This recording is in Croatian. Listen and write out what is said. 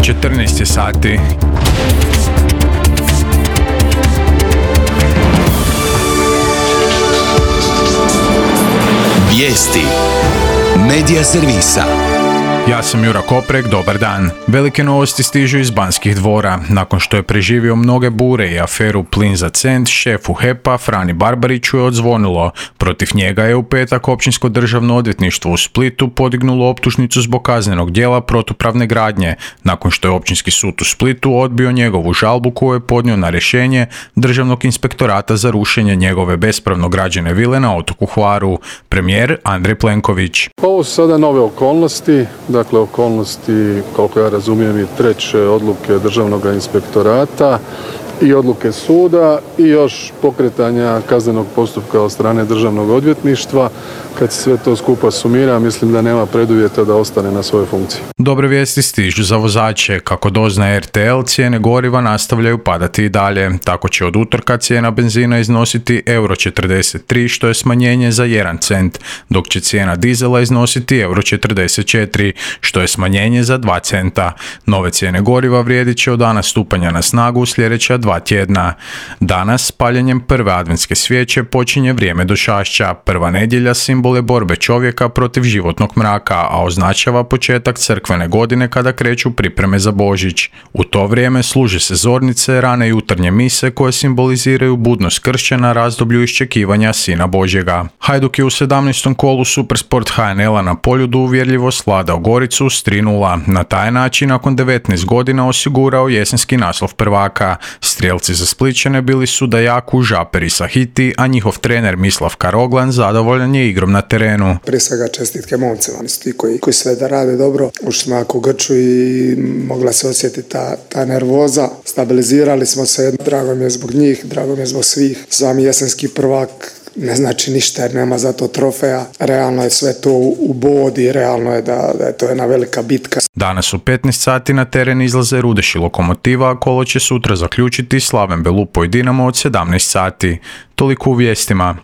14 je sati. Vijesti Medija servisa. Ja sam Jura Koprek, dobar dan. Velike novosti stižu iz Banskih dvora. Nakon što je preživio mnoge bure i aferu Plin za cent, šefu HEP-a Frani Barbariću je odzvonilo. Protiv njega je u petak Općinsko državno odvjetništvo u Splitu podignulo optužnicu zbog kaznenog djela protupravne gradnje, nakon što je Općinski sud u Splitu odbio njegovu žalbu koju je podnio na rješenje Državnog inspektorata za rušenje njegove bespravno građene vile na otoku Hvaru. Premijer Andrej Plenković. Ovo su sada nove okolnosti. Dakle, okolnosti, koliko ja razumijem, i treće odluke Državnog inspektorata i odluke suda i još pokretanja kaznenog postupka od strane Državnog odvjetništva. Kad se sve to skupa sumira, mislim da nema preduvjeta da ostane na svojoj funkciji. Dobre vijesti stižu za vozače. Kako doznaje RTL, cijene goriva nastavljaju padati i dalje. Tako će od utorka cijena benzina iznositi €43, što je smanjenje za 1 cent, dok će cijena dizela iznositi €44, što je smanjenje za 2 centa. Nove cijene goriva vrijedit će od dana stupanja na snagu u sljedeća 2 tjedna. Danas, paljenjem prve adventske svijeće, počinje vrijeme došašća. Prva nedjelja simbol je borbe čovjeka protiv životnog mraka, a označava početak crkvene godine kada kreću pripreme za Božić. U to vrijeme služe se zornice, rane jutarnje mise koje simboliziraju budnost kršćana, razdoblju iščekivanja Sina Božjega. Hajduk je u 17. kolu Supersport HNL-a na Poljudu uvjerljivo svladao Goricu s 3:0. Na taj način nakon 19 godina osigurao jesenski naslov prvaka. Strijelci za Splićane bili su Dajaku, Žaper i Sahiti, a njihov trener Mislav Karoglan zadovoljan je igrom na terenu. Prije svega čestitke momcima, oni su ti koji sve da rade dobro. Ušli smo jako grču i mogla se osjetiti ta nervoza. Stabilizirali smo se, drago mi je zbog njih, drago mi je zbog svih. Sami jesenski prvak ne znači ništa jer nema za to trofeja. Realno je sve to u bodi, realno je da je to jedna velika bitka. Danas u 15 sati na teren izlaze Rudeš i Lokomotiva, a kolo će sutra zaključiti Slaven Belupo i Dinamo od 17 sati. Toliko u vijestima.